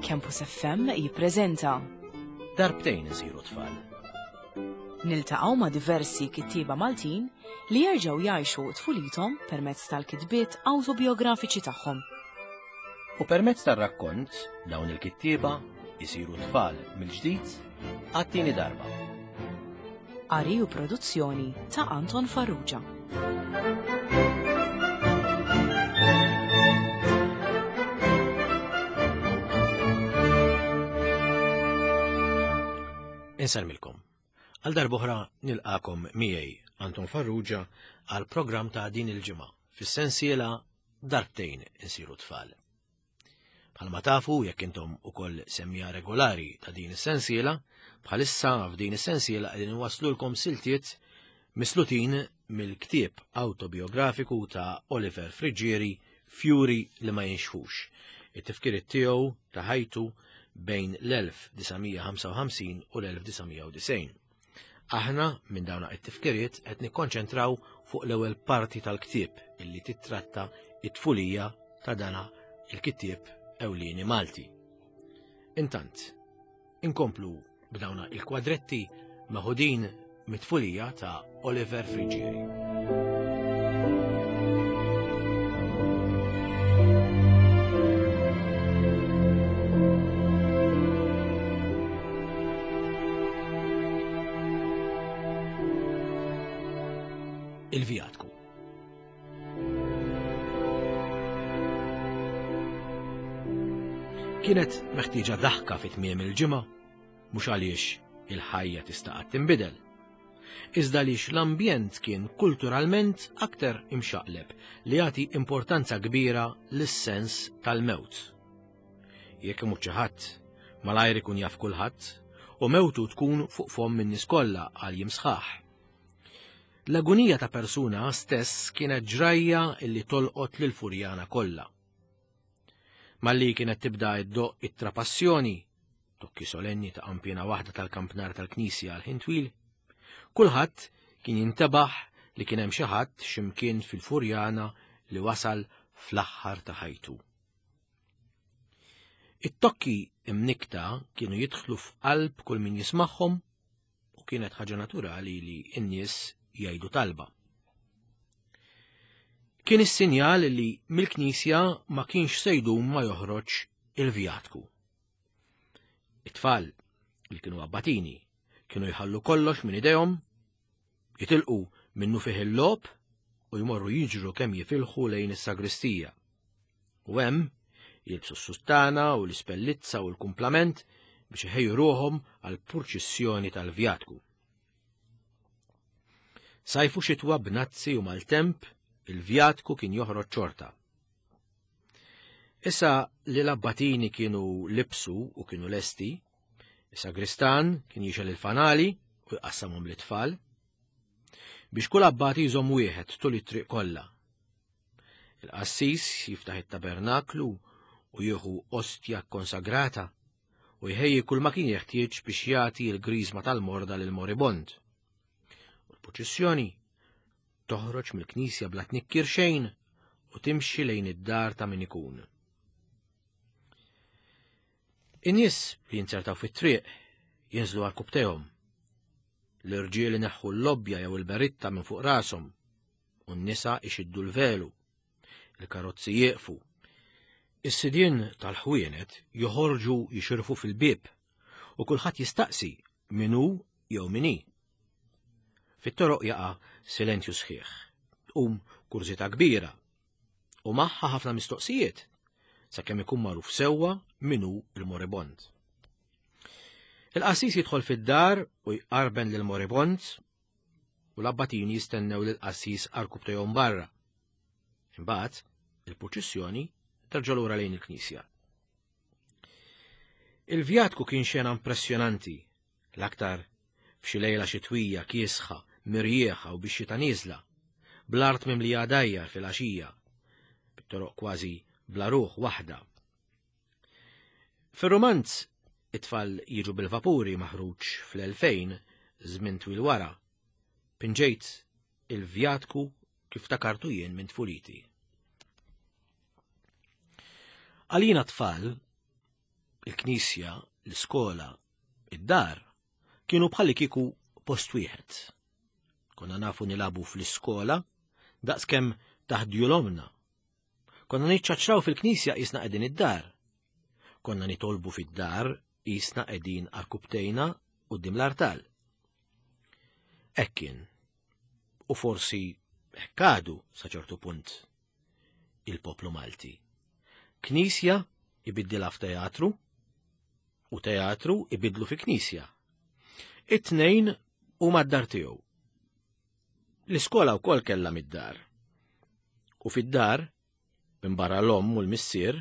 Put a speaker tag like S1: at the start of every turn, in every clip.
S1: Campus FM jippreżenta
S2: Darbtejn isiru tfal.
S1: Niltaqgħu ma' diversi kittieba Maltin li jerġgħu jgħixu tfulithom permezz tal-kitbiet awtobiografiċi tagħhom.
S2: U permezz tar-rakkont dawn il-kittieba jisiru tfal mill-ġdid għat-tieni darba.
S1: Qari u produzzjoni ta' Anton Farrugia.
S2: Insellmilkom. Għal darb'oħra nilqakom miegħi Anton Farrugia għal programm ta' din il-ġimgħa fis-sensiela Darbtejn insiru tfal. Bħalma tafu jekk intom ukoll semmija regolari ta' din is-sensiela, bħalissa f'din is-sensiela qegħdin inwasslulkom siltiet mislutin mill-ktieb awtobiografiku ta' Oliver Friggieri Fjuri li ma jinxfux, it-tifkiriet tiegħu ta' ħajtu bejn l-1955 u l-1990. Aħna minn dawn it-tifkiriet qed nikkonċentraw fuq l-ewwel parti tal-ktieb illi titratta it-tfulija ta' dana il-kittieb ewlieni Malti. Intant, inkomplu b'dawna il-kwadretti meħudin mit-tfulija ta' Oliver Friggieri. Il-vjatku. Kienet meħtieġa daħka fit tmiem il-ġimgħa mhux għaliex il-ħajja tista' qatt tinbidel. Iżda għaliex l-ambjent kien kulturalment aktar imxaqleb li jagħti importanza kbira lis-sens tal-mewt. Jekk imut xi ħadd, malajr ikun jaf kulħadd u mewtu tkun fuq fomm in-nies kollha għal jiem sħaħ. L-agunija ta' persuna stess kienet ġrajja li tolqot lil Furjana kollha. Malli kienet tibda iddoqq it-trapassjoni, tokki solenni ta' qanpiena waħda tal-kampnar tal-knisja għal ħin twil, kulħadd kien jintebaħ li kien hemm xi ħadd x'imkien fil-Furjana li wasal fl-aħħar ta' ħajtu. It-tokki imnikta kienu jidħlu f'qalb kull min jismagħhom u kienet ħaġa naturali li n-nies jgħidu talba. Kien is-sinjal li mill-knisja ma kienx se jdum ma joħroġ il-vjatku. It-tfal li kienu abbatini kienu jħallu kollox minn idejhom, jitilqu minnu fih il-logħob u jmorru jiġru kemm jifilħu lejn is-sagristija. U hemm jilbsu s-suttana u l-ispellizza u l-kumplament biex iħejju ruħhom għal purċissjoni tal-vjatku. Sajfu xitwa b'nazzi u maltemp, il-vjatku kien joħroġ ċorta. Issa li l-abbatini kienu libsu u kienu lesti, is-sagristan kien jixel il-fanali u jqassamhom lit-tfal biex kull abbati jżomm wieħed tul it-triq kollha. Il-qassis jiftaħ it-tabernaklu u jieħu ostja konsagrata u jħejji kull ma kien jeħtieġ biex jagħti l-griżma tal-morda lil moribond. U l-purċissjoni toħroġ mill-knisja bla tnikkir xejn u timxi lejn id-dar ta' min ikun. In-nies li jinzertaw fit-triq jinżlu għal kubtejhom. L-irġiel ineħħu l-lobbja jew il-beritta minn fuq rashom u n-nisa ixiddu l-velu. Il-karozzi jieqfu. Is-sidien tal-ħwienet joħorġu jixirfu fil-bieb u kulħadd jistaqsi min hu jew min hi. Fit-toroq jaqa' silenzju sħiħ. Tqum kurżità kbira u magħha ħafna mistoqsijiet sakemm ikun magħruf sewwa min hu l-moribond. Il-qassis jidħol fid-dar u jqarben lill-moribond u l-abbatini jistennew lill-qassis arkubtejhom barra. Imbagħad il-purċissjoni terġa' lura lejn il-knisja. Il-vjatku kien xena impressjonanti, l-aktar f'xi lejla xitwija kiesħa, mirjieħa u bix-xita nieżla, bl-art mimlija għadajjar fil-għaxija, bit-toroq kważi bla ruħ waħda. Fir-rumanz It-tfal jiġu bil-vapuri maħruġ fl-2000 żmien twil wara, pinġejt il-vjatku kif takartu jien minn tfuliti. Għalina tfal, Il-knisja, l-iskola, id-dar kienu bħalli kieku post wieħed. Konna nafu nilabu fl-iskola daqskemm taħdjulomna. Konna niċċaċraw fil-knisja qisna qegħdin id-dar. Konna nitolbu fid-dar qisna qegħdin arkubtejna quddiem l-artal. Hekk kien. U forsi hekk għadu sa ċertu punt il-poplu Malti. Knisja ibiddilha f'teatru u teatru ibidlu fi knisja. It-tnejn huma d-dar tiegħu. L-iskola wkoll kellha mid-dar. U fid-dar, minn barra l-omm u l-missier,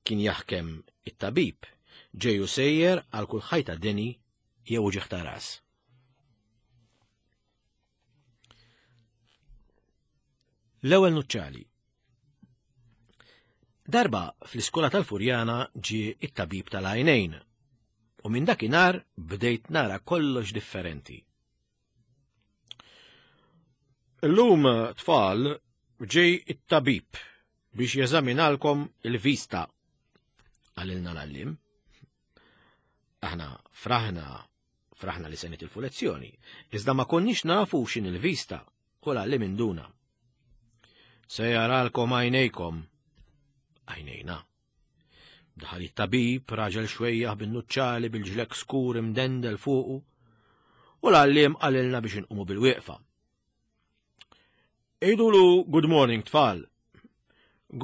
S2: kien jaħkem it-tabib, ġej u sejjer għal kull ħajta deni jew uġigħ ta' ras. L-ewwel nuċċali. Darba fl-iskola tal-Furjana ġie it-tabib tal-għajnejn u minn dakinhar bdejt nara kollox differenti. Illum tfal ġej it-tabib biex jeżaminalkom il-vista għalilna l-għallim. Aħna fraħna, fraħna li se nitilfu lezzjoni, iżda ma konniex nafu x'in il-vista u l-għallim induna. Se jaralkom għajnejkom. Għajnejna. Daħal it-tabib, raġel xwejjaħ bin-nuċċali bil-ġlek skur imdendel fuqu, u l-għalliem qalilna biex inqumu bil-wieqfa. Idulu good morning tfal.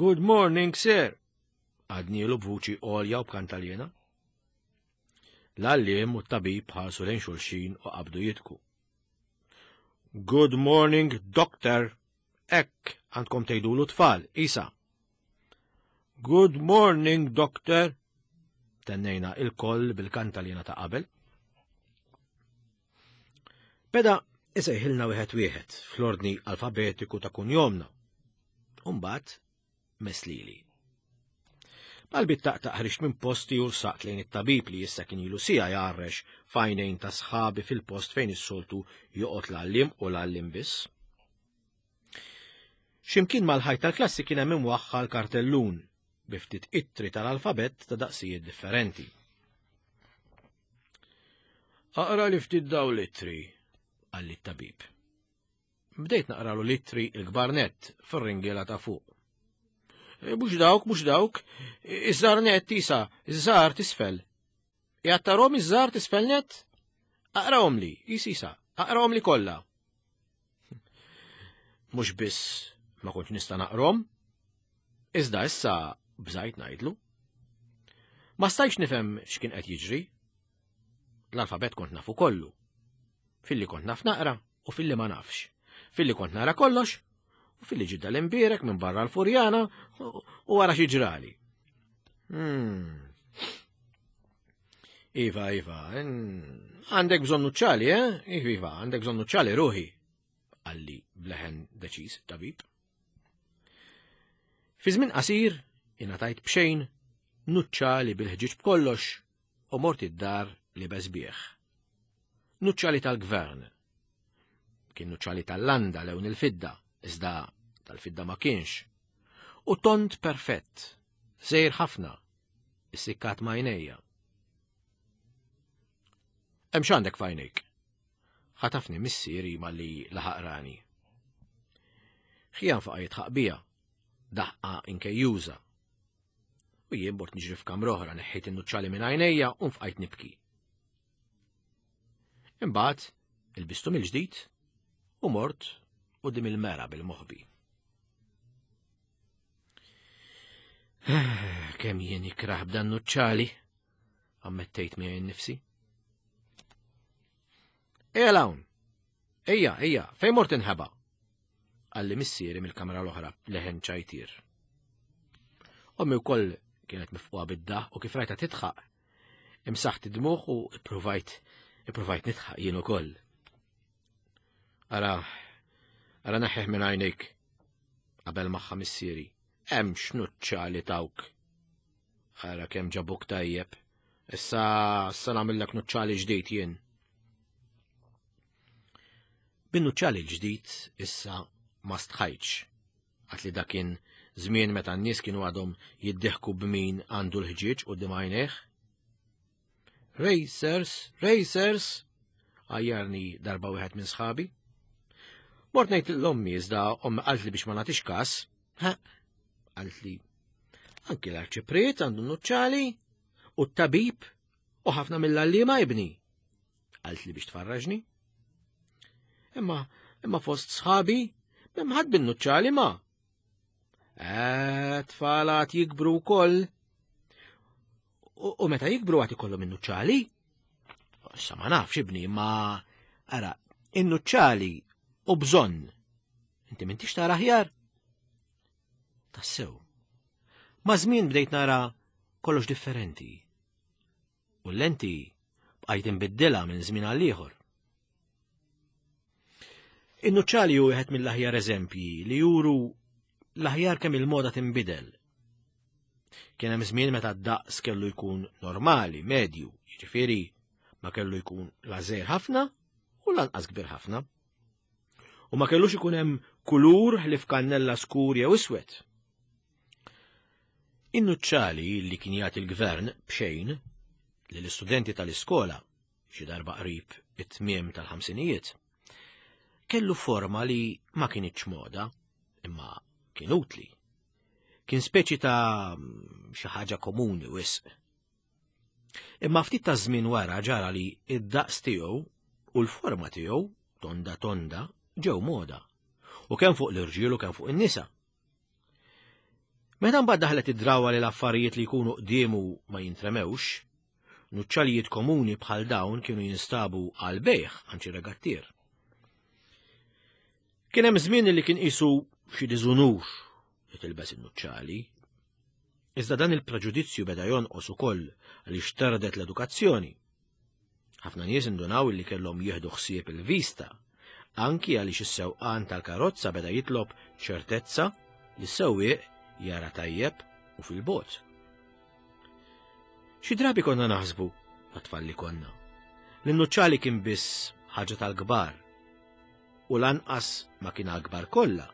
S2: Good morning, sir. Għadnielu b'vuċi għolja u b'kantaljena. L-għalliem u t-tabib ħarsu lejn xulxin u qabdu jitku. Good morning, doctor. Ekk, għandkom tgħidulu tfal, isa. Good morning, doctor. Tennejna il-koll bil-kantalina ta' qabel. Beda isejħilna wieħed wieħed fl-ordni alfabetiku ta' kunjomna. Umbagħad mess lili. Qalbi taqtaq ħriġt minn posti u saqt lejn it-tabib li issa kien ilu sija jgħarrex f'għajnejn ta' sħabi fil-post fejn is-soltu joqgħod l-għalliem u l-għalliem biss. X'imkien mal-ħajt tal-klassi kien hemm imwaħħal kartellun bi ftit ittri tal-alfabett ta' daqsijiet differenti. Aqra li ftit daw l-ittri, qalli t-tabib. Bdejt naqralu l-ittri l-kbar nett fir-ringiela ta' fuq. E, mhux dawk, mhux dawk, iż-żgħar nett isa, iż-żgħar tisfel. Qiegħed tarhom iż-żgħar tisfel nett? Aqrahom li, isisa, aqrahom li kollha. Mhux biss ma kontx nista' naqrom, iżda issa bżajt ngħidlu. Ma stajtx nifhem x'kien qed jiġri. L-alfabet kont nafu kollu. Filli kont naf naqra u filli ma nafx. Filli kont nara kollox u filli ġidda l-imbierek minn barra l-furjana u wara xi ġrali. Hmm. Iva, Iva, għandek bżonn nuċċali, eh? Iva, Iva, għandek bżonn nuċċali ruħi, għalli bleħen deċiż tabib. Fi żmien qasir, ingħatajt b'xejn nuċċali bil-ħġieġ b'kollox u mort id-dar li bih. Nuċċali tal-gvern. Kien nuċċali tal-landa lewn il-fidda, iżda tal-fidda ma kienx. U tont perfett, sejr ħafna, issikkat ma' għajnejja. Hemm x'għandek f'għajnejk? Ħatafni missieri malli laħaq rani. Ħijan faqa' jitħaq bija, daħqa inkejjuża. U jien bort niġri f'kamra oħra neħħejt in-nuċċali minn għajnejja u nfqajt nibki. Imbagħad ilbistu mill-ġdid u mort quddiem il-mera bil-moħbi. Kemm jien ikrah b'dan nuċċali, ammettejt miegħi nnifsi. Ejja hawn! Ejja, ejja, fejn mort inħeba? Qalli missieri mill-kamra l-oħra leħen ċajtir. Ommi wkoll kienet mifquha bid-daħ u kif rajta titħaq. Imsaħt id-dmuħ u ippruvajt ippruvajt nitħaq jien ukoll. Ara, ara neħħih minn għajnejk qabel magħha missieri. Hemm x'nuċċa li tawk. Ara kemm ġabuk tajjeb. Issa issa nagħmillek nuċċali ġdid jien. Bin-nuċċali l-ġdid issa ma stħajtx. Għat li dakin żmien meta n-nies kienu għadhom jiddieħku b'min għandu l-ħġieġ quddiem għajnejh. Racers, racers! Għajjarni darba wieħed minn sħabi. Mort ngħid l-ommi iżda ommi qaltli biex ma nagħtix każ. Ha, qaltli. Anki l-arċipriet għandu nuċċali u t-tabib u ħafna mill-għalliema ibni. Qaltli biex tfarraġni. Imma imma fost sħabi m'hemm ħadd bin-nuċċali ma. Eh, tfal għad jikbru wkoll. U meta jikbru għad ikollhom in-nuċċali? Issa ma nafx ibni, ma ara, in-nuċċali u bżonn. Inti m'intix tara aħjar? Tassew. Ma' żmien bdejt nara kollox differenti. U l-lenti bqajt inbiddilha minn żmien għal ieħor. In-nuċċali hu wieħed mill-aħjar eżempji li juru l-aħjar kemm il-moda tinbidel. Kien hemm żmien meta d-daqs kellu jkun normali, medju, jiġifieri ma kellu jkun la żgħir ħafna u lanqas kbir ħafna. U ma kellux ikun hemm kulur ħlief kannella skur jew iswed. In-nuċċali li kien jagħti l-gvern b'xejn lill-istudenti tal-iskola xi darba qrib it-tmiem tal-ħamsinijiet, kellu forma li ma kinitx moda, imma kien utli. Kien speċi ta' xi ħaġa komuni wisq. Imma ftit ta' żmien wara ġara li id-daqs tiegħu u l-forma tiegħu tonda tonda ġew moda. U kemm fuq l-irġiel u kemm fuq in-nisa. Meta mbagħad daħlet id-drawa li l-affarijiet li jkunu qdiemu ma jintremewx, nuċċalijiet komuni bħal dawn kienu jinstabu għal bejħ għand xi regattier. Kien hemm żmien li kien qisu xi diżunur li tilbes in-nuċċali. Iżda dan il-preġudizzju beda jonqos ukoll għaliex tardet l-edukazzjoni. Ħafna nies indunaw li kellhom jieħdu ħsieb il-vista, anki għaliex is-sewqan tal-karozza beda jitlob ċertezza li s-sewwieq jara tajjeb u fil-bogħod. Xi drabi konna naħsbu, għat-tfal li konna, li n-nuċċali kien biss ħaġa tal-kbar u lanqas ma kien għall-kbar kollha,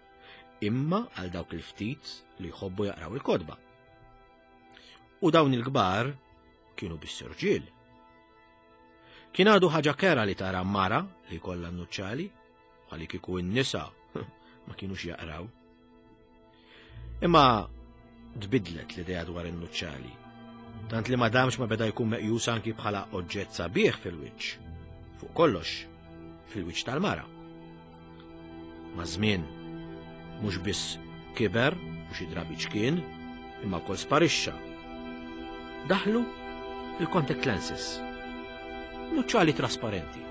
S2: imma għal dawk il-ftit li jħobbu jaqraw il-kotba. U dawn il-kbar kienu biss irġiel. Kien għadu ħaġa kera li tara mara li kollha nuċċali, bħali kieku n-nisa ma kienux jaqraw. Imma tbidlet l-idea dwar in-nuċċali. Tant li ma damx ma beda jkun meqjus anki bħala oġġett sabiħ fil-wiċċ. Fuq kollox, fil-wiċċ tal-mara. Maż-żmien, mhux biss kiber u xi drabi ċkien, imma wkoll sparixxa. Daħlu il-contact lenses. Nuċċali trasparenti.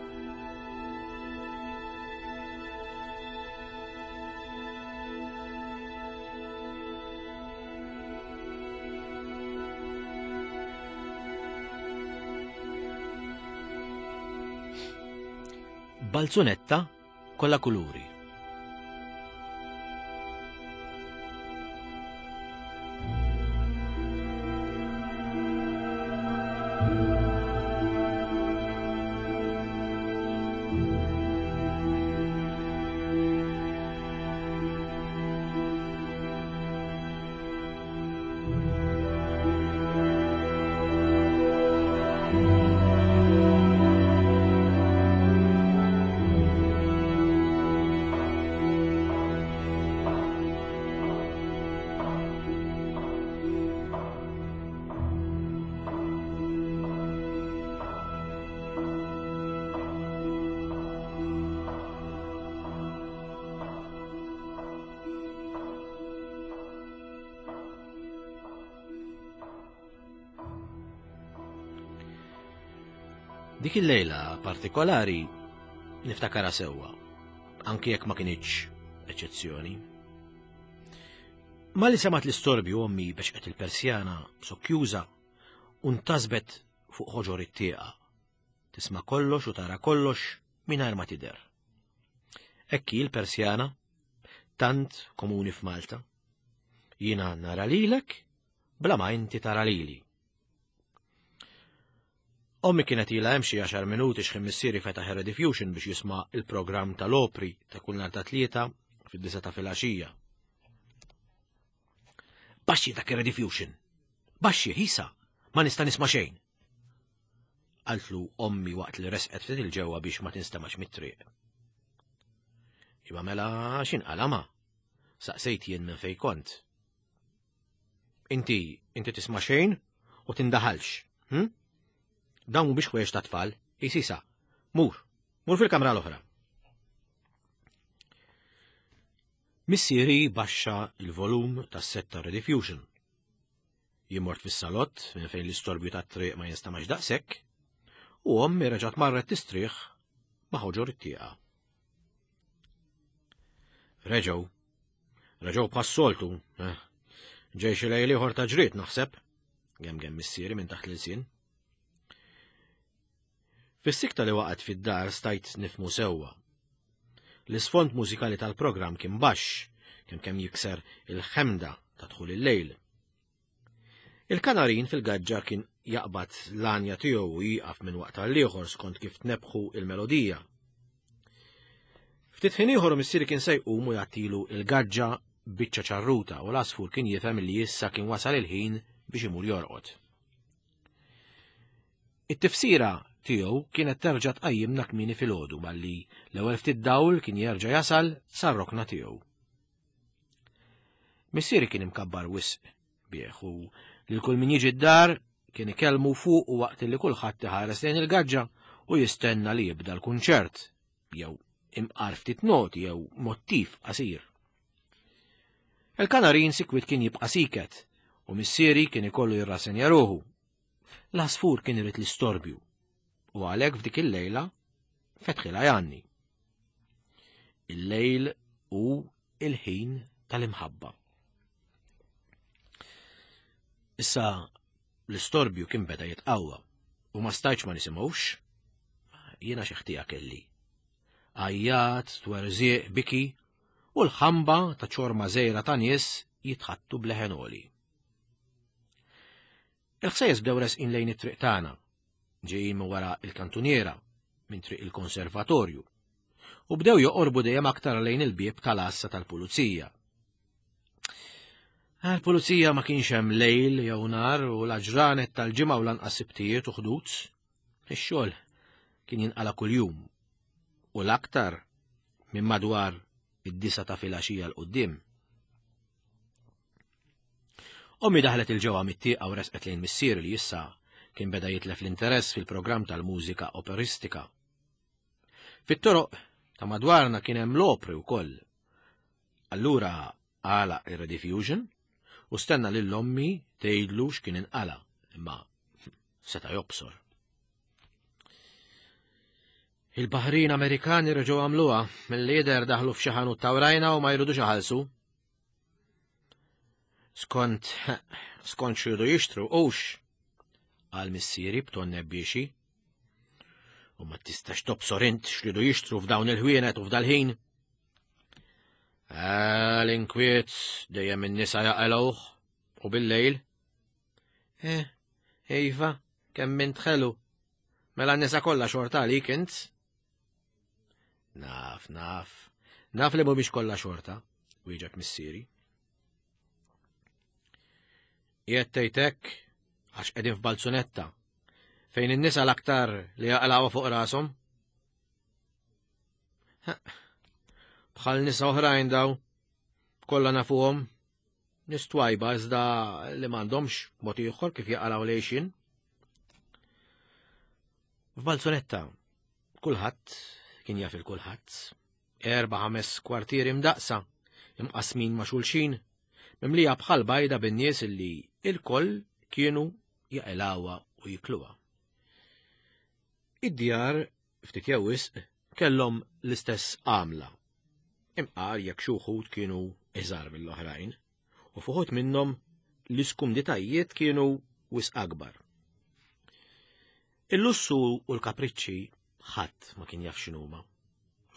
S2: Balzunetta kollha kuluri. Dik il-lejla partikolari niftakara sewwa, anki jekk ma kinitx eċċezzjoni. Ma li semat l-istorbju ommi bexqet il-persjana sokjuża u ntasbet fuq ħoġor it-tieqa. Tisma' kollox u tara kollox mingħajr ma tidher. Hekk hi l-persjana, tant komuni f'Malta. Jiena nara lilek bla ma inti tara lili. Ommi kienet ilha hemm xi għaxar minuti x'ħin missieri fetaħ ir-rediffusion biex jisma' il-programm tal-opri ta' kull nhar ta' tlieta fid-disa ta' filgħaxija. Baxxi dak ir-rediffusion! Baxxi, ħisa! Ma nista' nisma' xejn! Qaltlu ommi waqt li resqet ftit il-ġewwa biex ma tinstemax mit-triq. Iva mela x'inqala ma? Saqsejt jien minn fejn kont. Inti, inti tisma' xejn u tindaħalx, hm? Dawn mhumiex ħwejjeġ ta' tfal, isisa. Mur, mur fil-kamra l-oħra. Missieri baxxa il-volum tas-set ta' Rediffusion. Jien mort fis-salott minn fejn l-istorbju tat-triq ma jinstamax daqshekk, u ommi reġgħet marret tistrieħ ma' ħoġor it-tieqa. Reġgħu. Reġgħu bħas-soltu. Eh. Ġej xi lejl ieħor ta' ġriet naħseb. Gemgem missieri minn taħt l-ilsien. Fis-sikta li waqgħet fid-dar stajt nifmu sewwa. L-isfond mużikali tal-programm kien baxx, kemm kemm jikser il-ħemda ta' dħul il-lejl. Il-kanarin fil-gaġġa kien jaqbad l-għanja tiegħu u jieqaf minn waqt għal ieħor skont kif tnebħu il-melodija. Ftit ħin ieħor missieri kien se jqum u jagħtilu il-gaġġa biċċa ċarruta u l-għasfur kien jifhem li issa kien wasal il-ħin biex imur jorqod. It-tifsira tiegħu kienet terġa' tqajjimna kmieni filgħodu malli l-ewwel ftit dawl kien jerġa' jasal sar-rokna tiegħu. Missieri kien imkabbar wisq bih u lil kull min jiġi d-dar kien ikellmu fuq u waqt li kulħadd iħares lejn il-gaġġa u jistenna li jibda l-kunċert jew imqar ftit noti jew mottiv qasir. Il-kanarin sikwit kien jibqa' siket u missieri kien ikollu jirrasenja ruħu. L-għasfur kien irid l-istorbju u għalhekk f'dik il-lejla fetħilha janni. Il-lejl hu il-ħin tal-imħabba. Issa l-istorbju kien beda jitqawwa u ma stajtx ma nisimgħux. Jiena xi ħtija kelli. Għajjat, twerżieq, biki u l-ħamba ta' ċorma żgħira ta' nies jitħattu bleħen għoli. Il-ħsejjes bdew resqin lejn it-triq tagħna, ġejjin minn wara il-kantuniera, minn triq il-konservatorju, u bdew joqorbu dejjem aktar lejn il-bieb tal-għassa tal-pulizija. Għal-pulizija ma kienx hemm lejl jew nar u l-ġranet tal-ġimgħa u lanqas sibtijiet u ħdud. Ix-xogħol kien jinqala kuljum u l-aktar minn madwar id-disa ta' filgħaxija l quddiem. Ommi daħlet il-ġewwa mit-tieqa u resqet lejn missieri li issa kien beda jitlef l-interess fil-programm tal-mużika operistika. Fit-toroq ta' madwarna kien hemm l-opri wkoll. Allura għala ir-rediffusion u stenna lil ommi tgħidlu x'kien inqala, imma seta' jobsor. Il-Baħrin Amerikani reġgħu għamluha, mill-lider daħlu f'xi ħanut ta' wrajna u ma jridux iħallsu. Skont, skont xridu jixtru, ux, għal missieri b'ton nebbiexi. U ma tistax tobsor int xridu jixtru f'dawn il-ħwienet u f'dal-ħin. L-inkwiet dejjem in-nisa jaqelgħuh u bil-lejl. Eh, iva, kemm int ħelu. Mela n-nisa kollha xorta għalik int. Naf, naf. Naf li mhumiex kollha xorta, wieġeb missieri. Qiegħed tgħid hekk għax qegħdin f'balzunetta fejn in-nisa l-aktar li jaqlgħu fuq rashom. Bħal nisa oħrajn daw, kollha nafuhom, nies twajba iżda li m'għandhomx mod ieħor kif jaqalgħu lejxin. F'Balzunetta, kulħadd kien jaf il-kulħadd. Erba' ħames kwartieri mdaqsa, imqasmin ma' xulxin, mimlija bħal bajda bin-nies illi il-koll kienu jaqilgħuha u jikluha. Id-djar ftit jew wisq kellhom l-istess għamla. Imqar jekk xi wħud kienu iżgħar mill-oħrajn, u f'uħud minnhom l-iskumditajiet kienu wisq akbar. Il-lussu u l-kapriċċi ħadd ma kien jaf x'inhuma.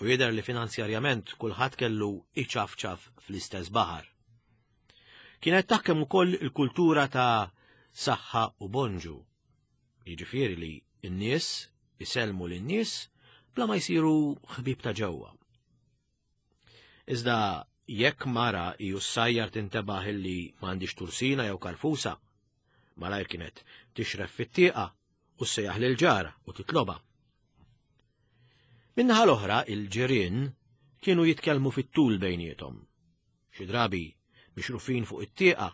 S2: U jidher li finanzjarjament kulħadd kellu iċafċaf fl-istess baħar. Kienet taħkem ukoll il-kultura ta' saħħa u bonġu. Jiġifieri li n-nies isellmu lin-nies bla ma jsiru ħbieb ta' ġewwa. Iżda jekk mara iju ssajjar tintebaħ illi m'għandix tursina jew karfusa, malajr kienet tixref fit-tieqa u ssejjaħ lil ġara u titlobha. Min-naħa l-oħra il-ġirien kienu jitkellmu fit-tul bejniethom. Xi drabi mixrufin fuq it-tieqa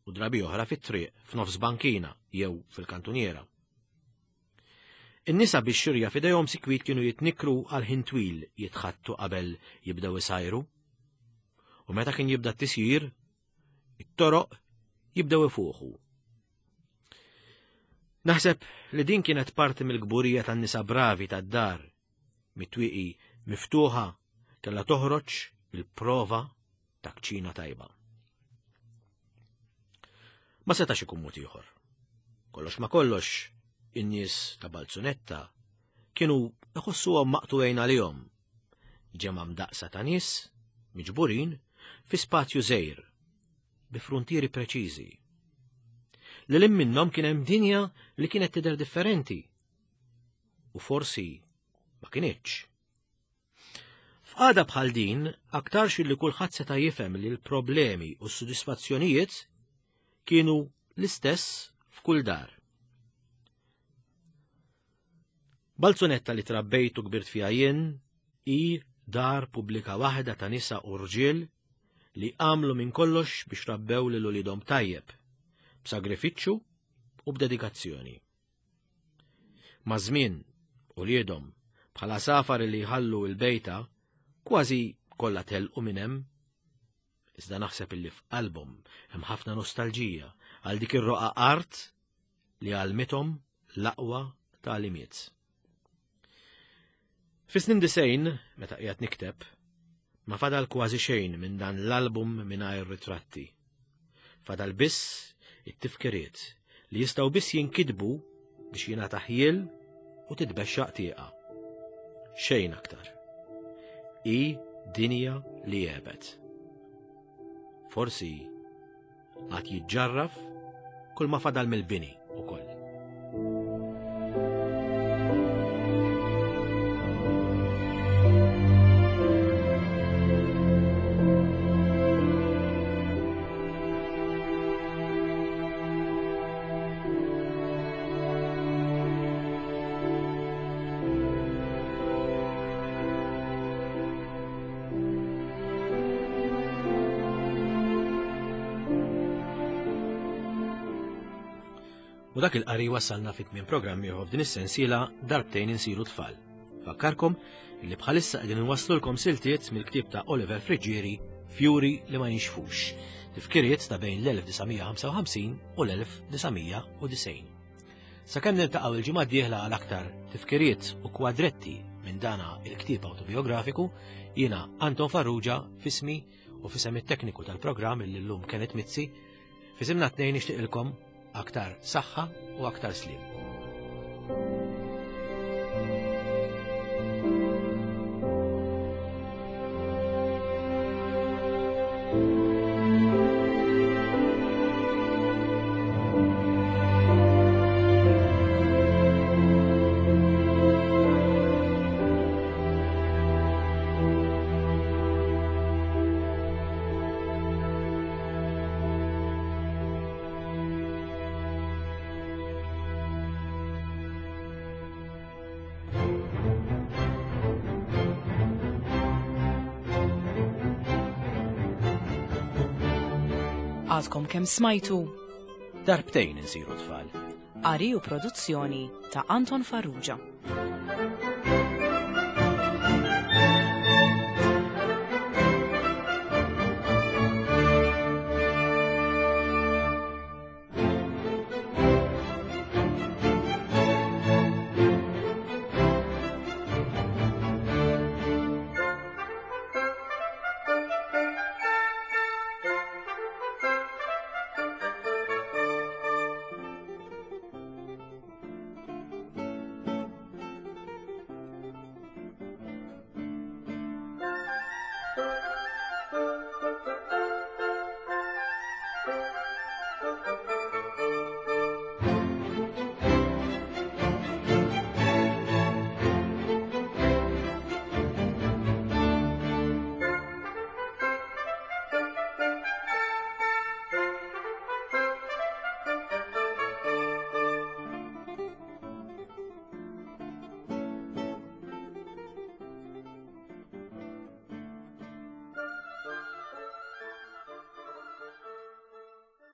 S2: u drabi oħra fit-triq f'nofs bankina jew fil-kantuniera. In-nisa bix-xirja f'idejhom sikwit kienu jitnikkru għal ħin twil jitħattu qabel jibdew isajru. U meta kien jibda t-tisjir, it-toroq jibdew ifuħu. Naħseb li din kienet parti mill-kburija tan-nisa bravi tad-dar, mit-twieqi miftuħa kellha toħroġ il-prova ta' kċina tajba. Ma setax ikun mod ieħor. Kollox ma kollox, in-nies ta' Balzunetta kienu iħossuhom maqtugħin għalihom. Ġemgħa mdaqqsa ta' nies miġburin fi spazju żgħir bi fruntieri preċiżi. Lil hinn minnhom kien hemm dinja li kienet tidher differenti. U forsi ma kinitx. F'qagħda bħal din, aktarx li kulħadd seta' jifhem li l-problemi u s-sodisfazzjonijiet kienu l-istess f'kull dar. Balzunetta li trabbejt u kbirt fiha jien hi dar pubblika waħda ta' nisa u rġiel li għamlu minn kollox biex rabbew lil uliedhom tajjeb, b'sagrifiċċju u b'dedikazzjoni. Maż-żmien, uliedhom, bħal għasafar li jħallu l-bejta, kważi kollha telqu minn hemm. Iżda naħseb illi f'qalbhom hemm ħafna nostalġija għal dik ir-roqgħa art li għallmithom l-aqwa tagħlimiet. Fis-snin disejn, meta qiegħed nikteb, ma fadal kważi xejn minn dan l-album mingħajr ritratti. Fadal biss it-tifkiriet li jistgħu biss jinkitbu biex jingħata ħjiel u titbexxaq tieqa. Xejn aktar. Hi dinja li għebet. Forsi għad jiġġarraf kull ma fadal mill-bini ukoll. U dak il-qari wasalna fit tmiem programm ieħor f'din is-sensiela darbtejn insiru tfal. Fakkarkom li bħalissa qegħdin inwasslulkom siltiet mill-ktieb ta' Oliver Friggieri Fjuri li ma jinxfux, tifkiriet ta' bejn l-1955 u l-1990. Sakemm niltaqgħu il-ġimgħa d-dieħla għal aktar tifkiriet u kwadretti minn dana il-ktieb autobiografiku, jiena Anton Farrugia fismi u fisem it-tekniku tal-programm illi llum Kenneth Mizzi, fisimna tnejn nixtieqilkom aktar saħħa u aktar sliem.
S1: Għadkom kemm smajtu
S2: Darbtejn insiru tfal.
S1: Qari u produzzjoni ta' Anton Farrugia.